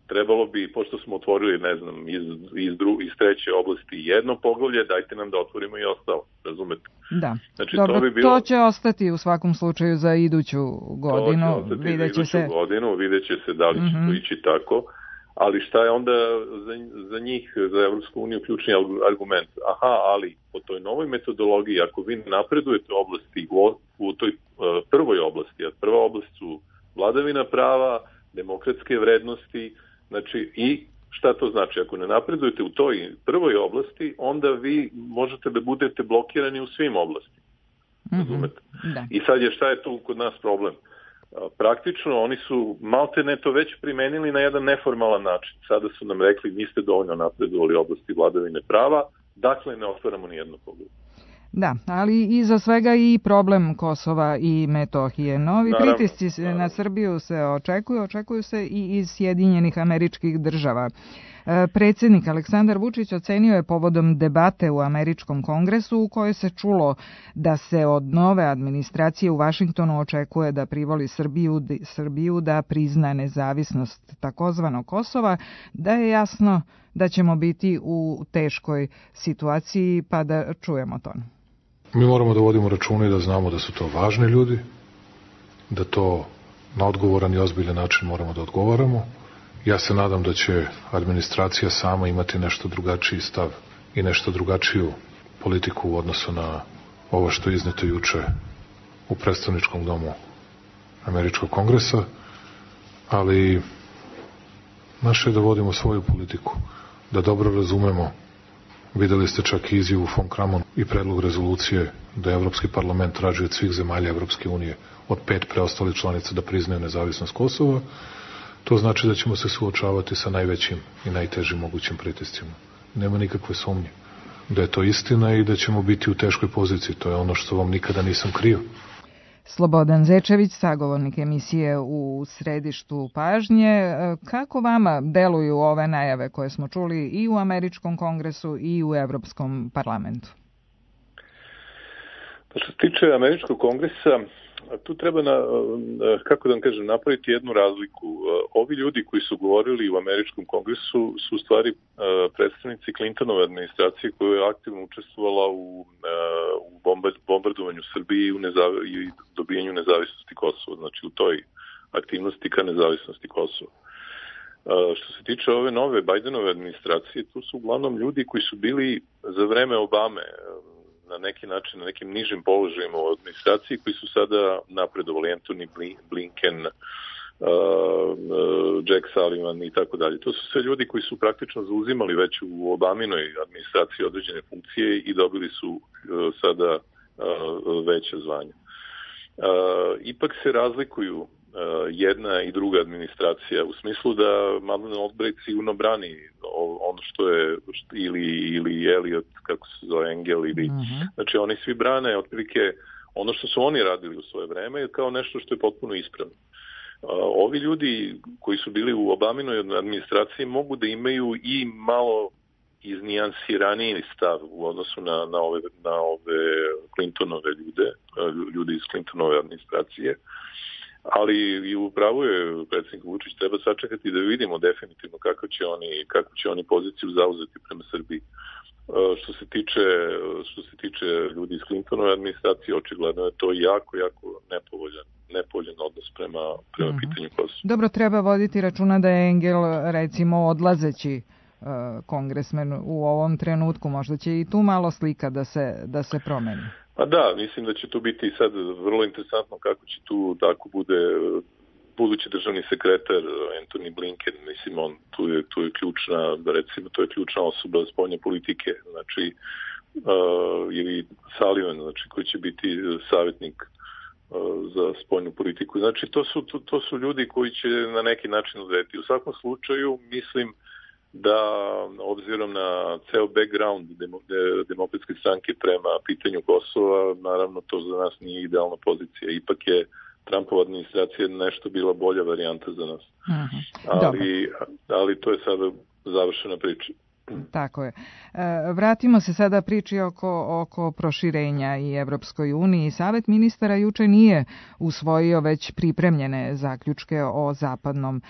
trebalo bi, pošto smo otvorili, ne znam, iz, iz, dru, iz treće oblasti jedno poglavlje, dajte nam da otvorimo i ostalo, razumete? Da, znači, dobro, to, bi bilo... to će ostati u svakom slučaju za iduću godinu. To će ostati za iduću se... godinu, vidjet će se da li će mm-hmm. to ići tako. Ali šta je onda za, za njih, za Evropsku uniju, ključni argument? Aha, ali po toj novoj metodologiji, ako vi napredujete oblasti u, u toj uh, prvoj oblasti, a prva oblast su vladavina prava, demokratske vrednosti, znači i šta to znači? Ako ne napredujete u toj prvoj oblasti, onda vi možete da budete blokirani u svim oblastima. Razumete? Mm-hmm. Da. I sad je šta je tu kod nas problem? Praktično oni su maltene to već primenili na jedan neformalan način. Sada su nam rekli niste dovoljno napredovali u oblasti vladavine prava, dakle ne otvaramo ni jedno poglavlje. Da, ali iza svega i problem Kosova i Metohije. Novi naravno, pritisci naravno. na Srbiju se očekuju, očekuju se i iz Sjedinjenih Američkih Država. Predsjednik Aleksandar Vučić ocenio je povodom debate u Američkom kongresu u kojoj se čulo da se od nove administracije u Vašingtonu očekuje da privoli Srbiju, Srbiju da prizna nezavisnost takozvanog Kosova, da je jasno da ćemo biti u teškoj situaciji, pa da čujemo to. Mi moramo da vodimo računa i da znamo da su to važni ljudi, da to na odgovoran i ozbiljan način moramo da odgovaramo. Ja se nadam da će administracija sama imati nešto drugačiji stav i nešto drugačiju politiku u odnosu na ovo što je izneto juče u predstavničkom domu Američkog kongresa, ali naše je da vodimo svoju politiku, da dobro razumemo. Videli ste čak i izjavu von Kramon i predlog rezolucije da Evropski parlament traži od svih zemalja Evropske unije od pet preostalih članica da priznaju nezavisnost Kosova. To znači da ćemo se suočavati sa najvećim i najtežim mogućim pritiscima. Nema nikakve sumnje da je to istina i da ćemo biti u teškoj poziciji. To je ono što vam nikada nisam krio. Slobodan Zečević, sagovornik emisije u Središtu pažnje. Kako vama deluju ove najave koje smo čuli i u Američkom kongresu i u Evropskom parlamentu? Što se tiče Američkog kongresa, tu treba, na, kako da vam kažem, napraviti jednu razliku. Ovi ljudi koji su govorili u Američkom kongresu su u stvari predstavnici Clintonove administracije koja je aktivno učestvovala u, u bombardovanju Srbije i u nezav, i dobijanju nezavisnosti Kosova, znači u toj aktivnosti ka nezavisnosti Kosova. Što se tiče ove nove Bajdenove administracije, tu su uglavnom ljudi koji su bili za vreme Obame na neki način, na nekim nižim položajima u administraciji koji su sada napredovali, Anthony Blinken, uh, uh, Jack Sullivan i tako dalje. To su sve ljudi koji su praktično zauzimali već u Obaminoj administraciji određene funkcije i dobili su uh, sada uh, veće zvanja. Uh, ipak se razlikuju jedna i druga administracija u smislu da Madeleine Albright sigurno brani ono što je ili, ili Elliot, kako se zove, Engel ili, uh-huh. znači oni svi brane otprilike ono što su oni radili u svoje vreme kao nešto što je potpuno ispravno. Ovi ljudi koji su bili u Obaminoj administraciji mogu da imaju i malo iznijansiraniji stav u odnosu na, na, ove, na ove Clintonove ljude, ljude iz Clintonove administracije. Ali i upravo je predsjednik Vučić, treba sačekati da vidimo definitivno kako će oni, kako će oni poziciju zauzeti prema Srbiji. Što se tiče, što se tiče ljudi iz Clintonove administracije, očigledno je to jako, jako nepovoljan, nepovoljan odnos prema, prema uh-huh. pitanju Kosova. Dobro, treba voditi računa da je Engel, recimo, odlazeći uh, kongresmen u ovom trenutku. Možda će i tu malo slika da se, da se promeni. Pa da, mislim da će to biti sad vrlo interesantno kako će tu tako bude budući državni sekretar Anthony Blinken, mislim on tu je, tu je ključna, recimo to je ključna osoba spoljne politike, znači uh, ili Sullivan, znači koji će biti savjetnik uh, za spoljnu politiku. Znači to su, to, to su ljudi koji će na neki način odrediti. U svakom slučaju mislim da obzirom na ceo background Demokratske stranke prema pitanju Kosova, naravno to za nas nije idealna pozicija. Ipak je Trumpova administracija nešto bila bolja varijanta za nas. Uh-huh. Ali, ali to je sada završena priča. Tako je. Vratimo se sada priči oko, oko proširenja i Evropskoj uniji. Savet ministara juče nije usvojio već pripremljene zaključke o Zapadnom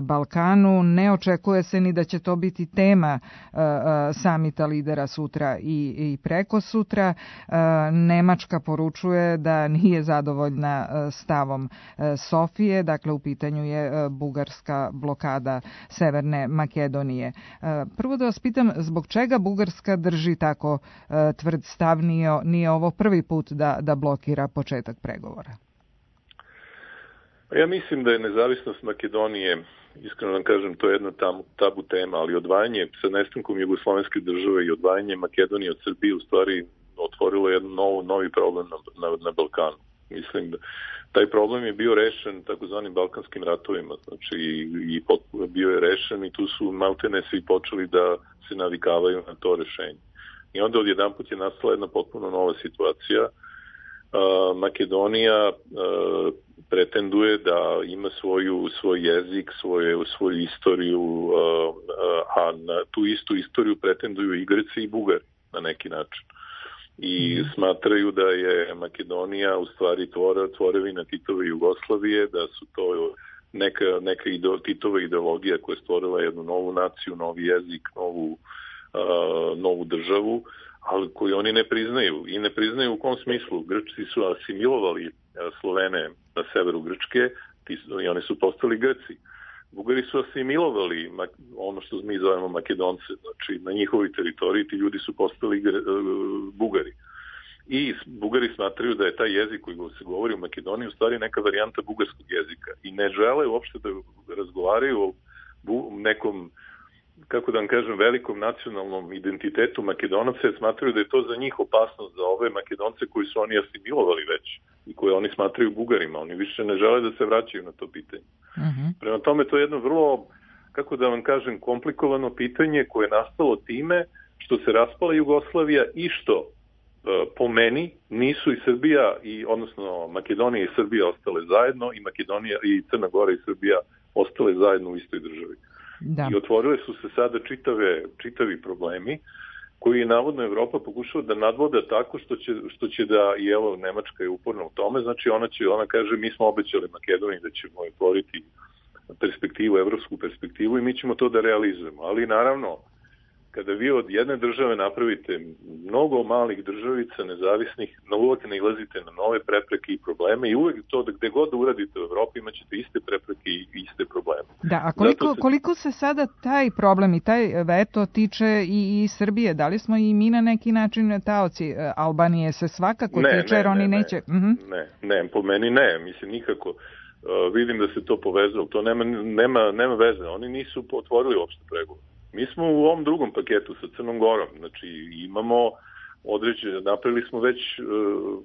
Balkanu. Ne očekuje se ni da će to biti tema samita lidera sutra i, i preko sutra. Nemačka poručuje da nije zadovoljna stavom Sofije, dakle u pitanju je bugarska blokada Severne Makedonije. Prvo da vas pitam, zbog čega Bugarska drži tako uh, tvrd stav, nije, nije ovo prvi put da, da blokira početak pregovora? Ja mislim da je nezavisnost Makedonije, iskreno vam kažem, to je jedna tabu, tabu tema, ali odvajanje sa nestankom Jugoslovenske države i odvajanje Makedonije od Srbije u stvari otvorilo jedan nov, novi problem na, na, na Balkanu. Mislim da taj problem je bio rešen takozvanim balkanskim ratovima, znači i, i pot, bio je rešen i tu su maltene svi počeli da se navikavaju na to rešenje. I onda odjedanput je nastala jedna potpuno nova situacija. Uh, Makedonija uh, pretenduje da ima svoju, svoj jezik, svoje, svoju istoriju, uh, uh, a na tu istu istoriju pretenduju i Grci i Bugari na neki način. I smatraju da je Makedonija u stvari tvora, tvorevina Titove Jugoslavije, da su to neka, neka ide, Titova ideologija koja je stvorila jednu novu naciju, novi jezik, novu, uh, novu državu, ali koju oni ne priznaju. I ne priznaju u kom smislu. Grčci su asimilovali Slovene na severu Grčke i oni su postali Grci. Bugari su asimilovali ono što mi zovemo Makedonce, znači na njihovoj teritoriji ti ljudi su postali Bugari. I Bugari smatraju da je taj jezik koji se govori u Makedoniji u stvari neka varijanta bugarskog jezika i ne žele uopšte da razgovaraju o nekom, kako da vam kažem, velikom nacionalnom identitetu Makedonaca, jer smatraju da je to za njih opasnost, za ove Makedonce koji su oni asimilovali već i koje oni smatraju Bugarima. Oni više ne žele da se vraćaju na to pitanje. Uh-huh. Prema tome, to je jedno vrlo, kako da vam kažem, komplikovano pitanje koje je nastalo time što se raspala Jugoslavija i što po meni nisu i Srbija, i, odnosno Makedonija i Srbija ostale zajedno i Makedonija i Crna Gora i Srbija ostale zajedno u istoj državi. Da. I otvorile su se sada čitave, čitavi problemi koji je navodno Evropa pokušala da nadvoda tako što će, što će da, i evo Nemačka je uporna u tome, znači ona će, ona kaže mi smo obećali Makedoniji da ćemo otvoriti perspektivu, evropsku perspektivu i mi ćemo to da realizujemo. Ali naravno, kada vi od jedne države napravite mnogo malih državica nezavisnih, uvek nailazite na nove prepreke i probleme i uvek to da gde god da uradite u Evropi imaćete iste prepreke i iste probleme. Da, a koliko, se... koliko se sada taj problem i taj veto tiče i, i Srbije? Da li smo i mi na neki način taoci? Albanije se svakako ne, tiče, ne, jer oni ne, neće... Ne, uh-huh. ne, ne, po meni ne, mislim nikako. Uh, vidim da se to povezalo, to nema, nema, nema veze, oni nisu otvorili uopšte pregovor. Mi smo u ovom drugom paketu sa Crnom Gorom, znači imamo određene, napravili smo već,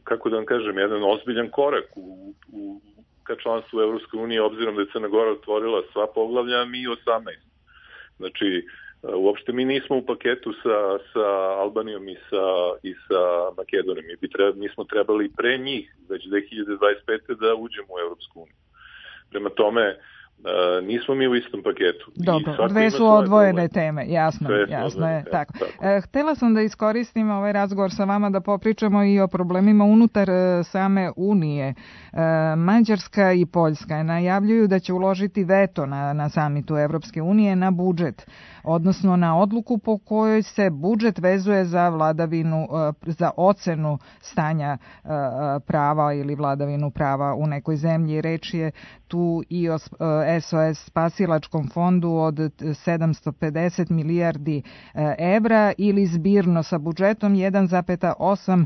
kako da vam kažem, jedan ozbiljan korak u, u, ka članstvu Evropske unije, obzirom da je Crna Gora otvorila sva poglavlja, mi osamnaest. Znači, uopšte mi nismo u paketu sa, sa Albanijom i sa, i sa Makedonijom. Mi, bi treba, mi smo trebali pre njih, već dve hiljade dvadeset pete da uđemo u Evropsku uniju. Prema tome, Uh, nismo mi u istom paketu. Dobro, dve su odvojene teme, jasno, jasno je. Tako. Tako. Htela sam da iskoristim ovaj razgovor sa vama da popričamo i o problemima unutar same Unije. Mađarska i Poljska najavljuju da će uložiti veto na, na samitu Evropske unije na budžet, odnosno na odluku po kojoj se budžet vezuje za vladavinu, za ocenu stanja prava ili vladavinu prava u nekoj zemlji. Reč je tu i o S O S spasilačkom fondu od sedamsto pedeset milijardi evra ili zbirno sa budžetom jedan zarez osam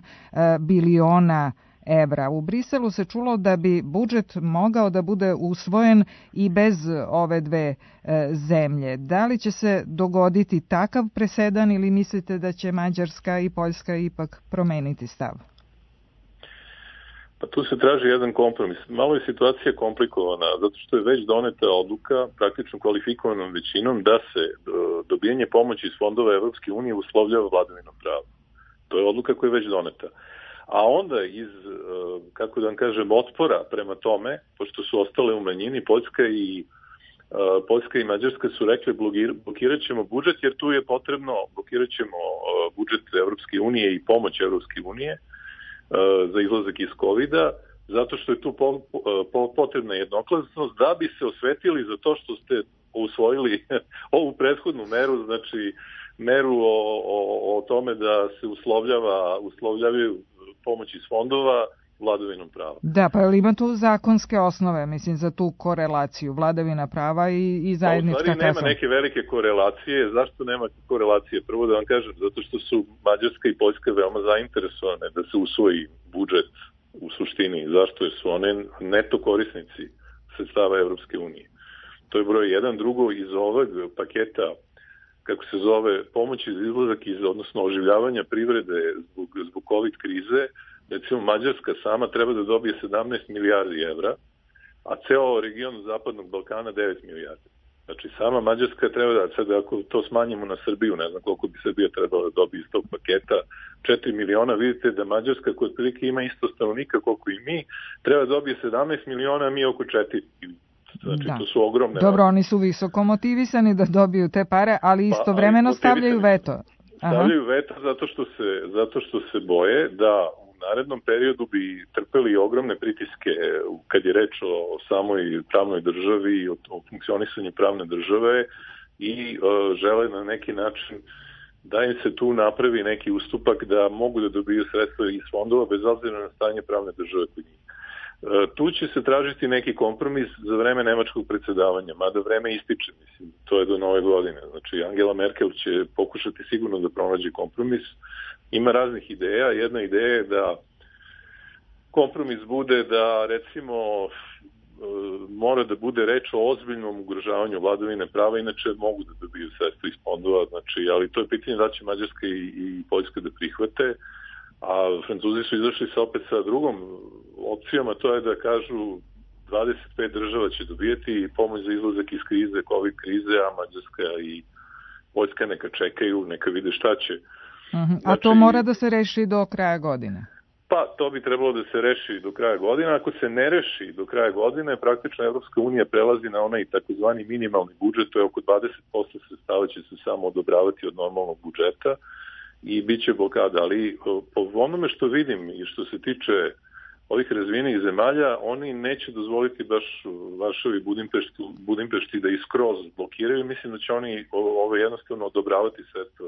biliona evra. U Briselu se čulo da bi budžet mogao da bude usvojen i bez ove dve zemlje. Da li će se dogoditi takav presedan ili mislite da će Mađarska i Poljska ipak promeniti stav? Pa tu se traži jedan kompromis. Malo je situacija komplikovana, zato što je već doneta odluka praktično kvalifikovanom većinom da se dobijanje pomoći iz fondova Evropske unije uslovljava vladavinom prava. To je odluka koja je već doneta. A onda iz, kako da vam kažem, otpora prema tome, pošto su ostale u manjini, Poljska i Poljska i Mađarska su rekli blokirat ćemo budžet, jer tu je potrebno, blokirat ćemo budžet Evropske unije i pomoć Evropske unije za izlazak iz kovida, zato što je tu po, po, potrebna jednoglasnost da bi se osvetili za to što ste usvojili ovu prethodnu meru, znači meru o, o, o tome da se uslovljava, uslovljavaju pomoć iz fondova vladavinom prava. Da, pa ima tu zakonske osnove, mislim, za tu korelaciju vladavina prava i, i zajednička kasa? U stvari nema neke velike korelacije. Zašto nema korelacije? Prvo da vam kažem, zato što su Mađarska i Poljska veoma zainteresovane da se usvoji budžet u suštini. Zašto? Jer su one neto korisnici sredstava Evropske unije. To je broj jedan. Drugo, iz ovog paketa, kako se zove, pomoć iz izlazak iz, odnosno oživljavanja privrede zbog, zbog COVID krize, recimo Mađarska sama treba da dobije sedamnaest milijardi evra, a ceo region Zapadnog Balkana devet milijardi. Znači sama Mađarska treba da, sad ako to smanjimo na Srbiju, ne znam koliko bi Srbija trebala da dobije iz tog paketa, četiri miliona, vidite da Mađarska koja otprilike ima isto stanovnika koliko i mi, treba da dobije sedamnaest miliona, a mi oko četiri. Znači da. To su ogromne. Dobro, oni su visoko motivisani da dobiju te pare, ali istovremeno pa, stavljaju veto. Aha. Stavljaju veto zato što se, zato što se boje da u narednom periodu bi trpeli ogromne pritiske kad je reč o samoj pravnoj državi i o, o funkcionisanju pravne države i o, žele na neki način da im se tu napravi neki ustupak da mogu da dobiju sredstva iz fondova bez obzira na stanje pravne države kod njih. Tu će se tražiti neki kompromis za vreme nemačkog predsedavanja, mada vreme ističe, mislim, to je do nove godine. Znači, Angela Merkel će pokušati sigurno da pronađe kompromis. Ima raznih ideja. Jedna ideja je da kompromis bude da, recimo, mora da bude reč o ozbiljnom ugrožavanju vladavine prava, inače mogu da dobiju sredstva iz fondova, znači, ali to je pitanje da će Mađarska i, i Poljska da prihvate. A Francuzi su izašli sa opet sa drugom opcijom, a to je da kažu dvadeset pet država će dobijeti pomoć za izlazak iz krize, COVID krize, a Mađarska i Poljska neka čekaju, neka vide šta će. Uh-huh. A znači, to mora da se reši do kraja godine? Pa, to bi trebalo da se reši do kraja godine. Ako se ne reši do kraja godine, praktično Evropska unija prelazi na onaj takozvani minimalni budžet, to je oko dvadeset posto sredstava će se samo odobravati od normalnog budžeta i bit će blokada, ali po onome što vidim i što se tiče ovih razvijenih zemalja, oni neće dozvoliti baš Varšavi Budimpešti, Budimpešti da iskroz blokiraju. Mislim da će oni ove jednostavno odobravati sredstva,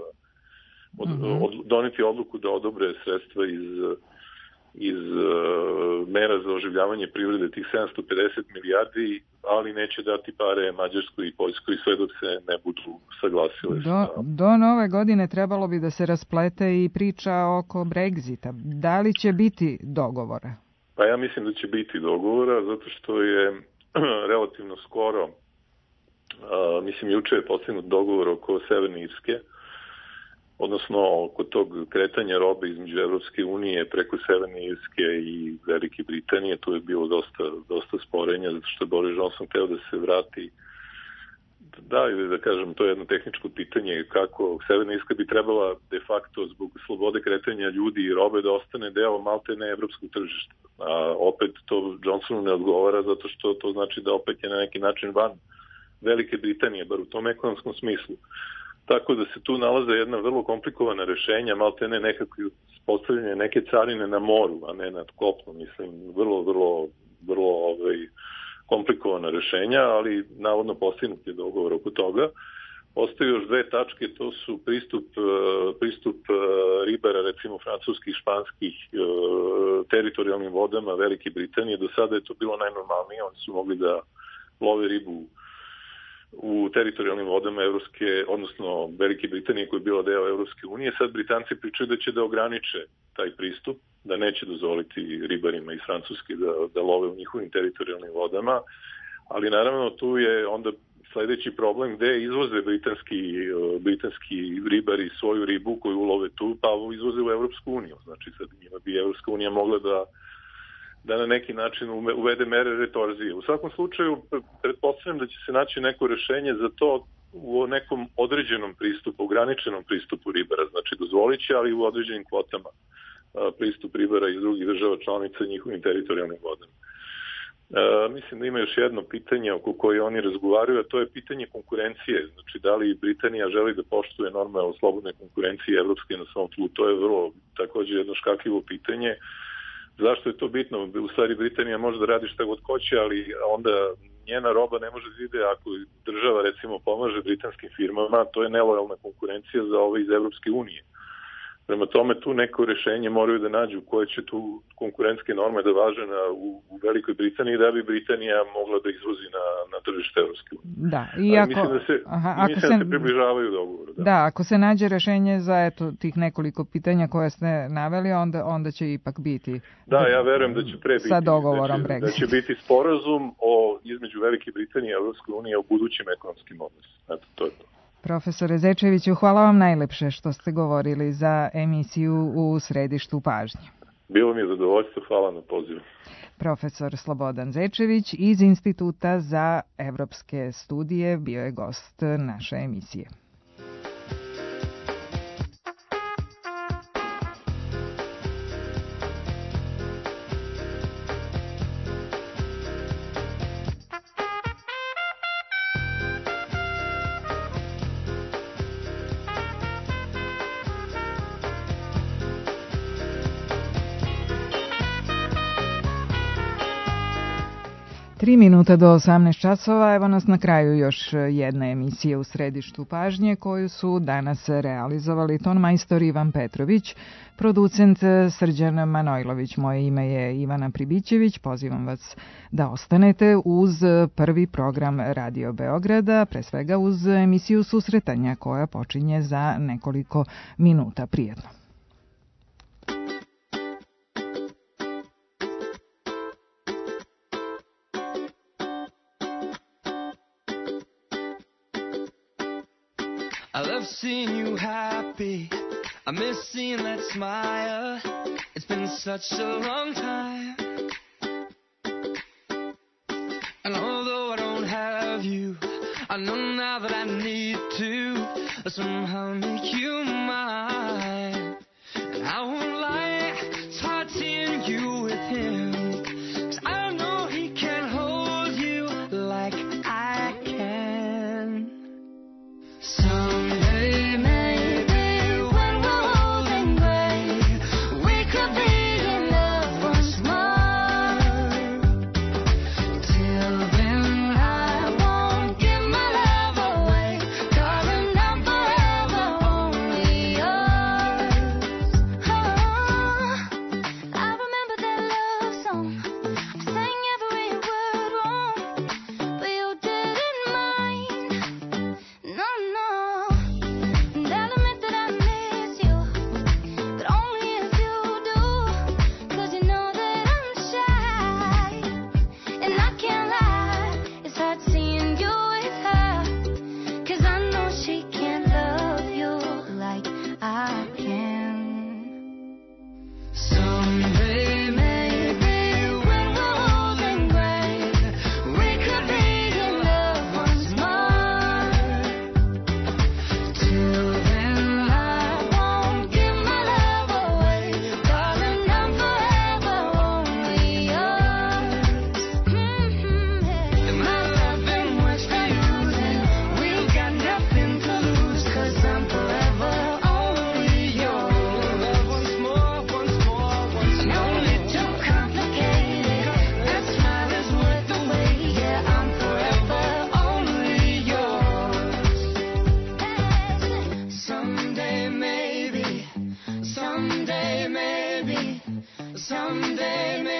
od, mm-hmm. od, doneti odluku da odobre sredstva iz, iz uh, mera za oživljavanje privrede, tih sedamsto pedeset milijardi, ali neće dati pare Mađarskoj i Poljskoj sve dok se ne budu saglasile. Do, do nove godine trebalo bi da se rasplete i priča oko Brexita. Da li će biti dogovora? Pa ja mislim da će biti dogovora, zato što je relativno skoro, uh, mislim juče je postignut dogovor oko Severne Irske, odnosno oko tog kretanja robe između Evropske unije preko Severne Irske i Velike Britanije. Tu je bilo dosta, dosta sporenja, zato što je Boris Johnson hteo da se vrati. Da, ili da kažem, to je jedno tehničko pitanje kako Severna Irska bi trebala de facto zbog slobode kretanja ljudi i robe da ostane deo maltene evropskog tržišta. A opet to Johnsonu ne odgovara zato što to znači da opet je na neki način van Velike Britanije, bar u tom ekonomskom smislu. Tako da se tu nalaze jedna vrlo komplikovana rešenja, maltene nekako postavljanje neke carine na moru, a ne nad kopnom, mislim, vrlo, vrlo, vrlo ovaj, komplikovana rešenja, ali navodno postignut je dogovor oko toga. Ostaju još dve tačke, to su pristup, pristup ribara, recimo francuskih, španskih teritorijalnim vodama Velike Britanije. Do sada je to bilo najnormalnije, oni su mogli da love ribu u teritorijalnim vodama Evropske, odnosno Velike Britanije koja je bila deo Evropske unije. Sad Britanci pričaju da će da ograniče taj pristup, da neće dozvoliti ribarima iz Francuske da, da love u njihovim teritorijalnim vodama, ali naravno tu je onda sledeći problem gde izvoze britanski, britanski ribari svoju ribu koju ulove tu, pa izvoze u Evropsku uniju. Znači sad njima bi Evropska unija mogla da da na neki način uvede mere retorzije. U svakom slučaju, pretpostavljam da će se naći neko rešenje za to u nekom određenom pristupu, ograničenom pristupu ribara, znači dozvolit će, ali u određenim kvotama pristup ribara iz drugih država članica njihovim teritorijalnim vodama. E, mislim da ima još jedno pitanje oko koje oni razgovaraju, a to je pitanje konkurencije. Znači, da li Britanija želi da poštuje norme o slobodnoj konkurenciji evropske na svom tlu? To je vrlo također jedno škakljivo pitanje. Zašto je to bitno? U stvari Britanija može da radi šta god hoće, ali onda njena roba ne može da ide ako država recimo pomaže britanskim firmama, to je nelojalna konkurencija za ove iz Evropske unije. Prema tome tu neko rešenje moraju da nađu koje će tu konkurentske norme da važe na, u, u Velikoj Britaniji da bi Britanija mogla da izvozi na, na tržište Evropske unije. Da, i ako, mislim da se, aha, ako mislim se, da se približavaju dogovoru. Da. da, ako se nađe rešenje za eto, tih nekoliko pitanja koje ste naveli, onda, onda će ipak biti da, ja verujem da će pre biti, sa dogovorom da će, da će biti sporazum o, između Velike Britanije i Evropske unije o budućim ekonomskim odnosima. Eto, to je to. Profesore Zečeviću, hvala vam najlepše što ste govorili za emisiju U središtu pažnje. Bilo mi je zadovoljstvo, hvala na pozivu. Profesor Slobodan Zečević iz Instituta za evropske studije bio je gost naše emisije. Tri minuta do osamnaest časova, evo nas na kraju još jedna emisija U središtu pažnje koju su danas realizovali tonmajstor Ivan Petrović, producent Srđan Manojlović. Moje ime je Ivana Pribićević, pozivam vas da ostanete uz prvi program Radio Beograda, pre svega uz emisiju Susretanja koja počinje za nekoliko minuta. Prijetno. I love seeing you happy, I miss seeing that smile, it's been such a long time. And although I don't have you, I know now that I need to somehow make you mine. And I won't lie, it's hard seeing you with him, 'cause I know he can't hold you like I can. Someday maybe when we're old and gray, we could be in love once more. Till then I won't give my love away, darling, I'm forever only yours. Oh, I remember that love song, I sang every word wrong, but you didn't mind. No, no, and I'll admit that I miss you, but only if you do, 'cause you know that I'm shy, and I can't lie, it's hard seeing you with her, 'cause I know she can't love you like I can. Someday maybe when we're old and gray, we could be in love once more. Till then I won't give my love away, darling, I'm forever only yours. Mm-hmm. If my loving works for you, then we've got nothing to lose, 'cause I'm forever only yours. Once more, once more, once more. No need to complicate it, that smile is worth the wait. Yeah, I'm forever only yours. Someday maybe, someday maybe, someday maybe.